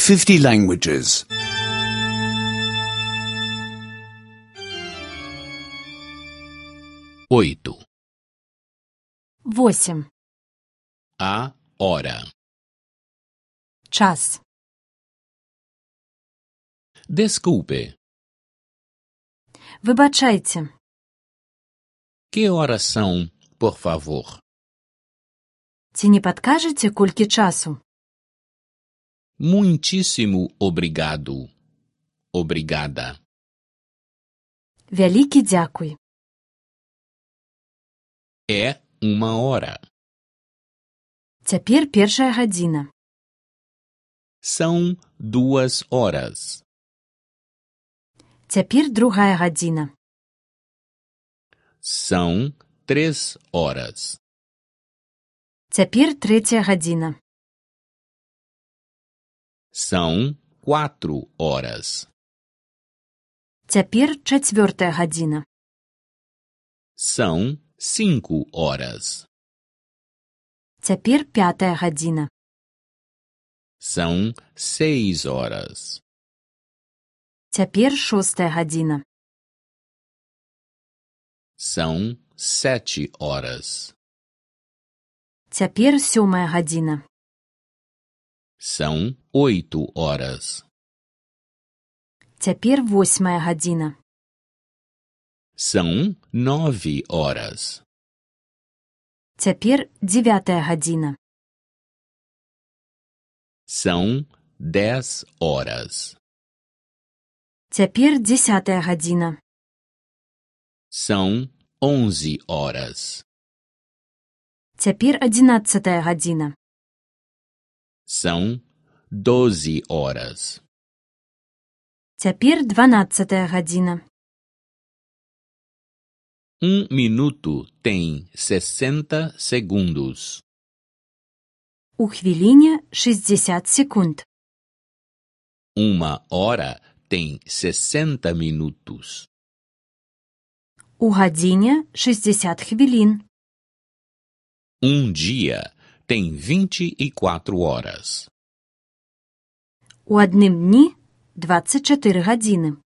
50 languages. 8. 8. A hora. Час. Desculpe, Вибачайте. que horas são, por favor? Ці не падкажаце, колькі часу? Muitíssimo obrigado. Obrigada. Вялікі дзякуй. É uma hora. Цяпер 1 гадзіна. São 2 horas. Цяпер 2 гадзіна. São 3 horas. Цяпер 3 гадзіна. São 4 horas. Цяпер 4 гадзіна. São 5 horas. Цяпер 5 гадзіна. São 6 horas. Цяпер 6 гадзіна. São 7 horas. Цяпер 7 гадзіна. São 8 horas. Цяпер 8 гадзіна. São 9 horas. Цяпер 9 гадзіна. São 10 horas. Цяпер 10 гадзіна. São 11 horas. Цяпер 11 гадзіна. São 12 horas. Цяпер 12 гадзіна. Minuto tem 60 segundos. У хвіліне 60 секунд. Uma hora tem 60 minutos. У гадзіне 60 хвілін. Dia tem 24 horas. У адным дні 24 гадзіни.